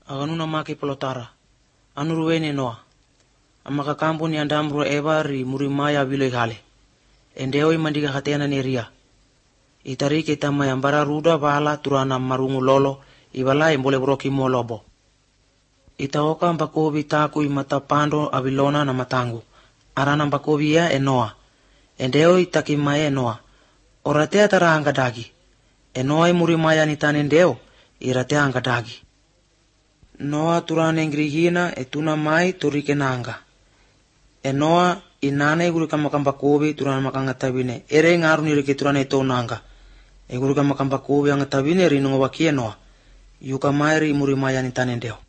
aganuna maki pelotara, anuruene noa, amaka kampu ni andamro evari murimaya vilo ikale, endeoi mandiga katena neria, itari kita mayambara ruda bala turana marungu lolo, ibala imbole broki molobo. Itaoka mbakobi taku imata pando abilona na matangu, arana mbakobi ya enoa, endeo itakimae enoa, oratea taranga dagi, enoa murimaya nitane endeo, iratea anga dagi. Noa turane ngrihina etuna mai turike nanga. Enoa inane igurika makambakobi turana makangatabine, ere ngaru nirike turane ito nanga. Igurika makambakobi angatabine rinungo wakie noa, yuka mairi murimaya nitane endeo.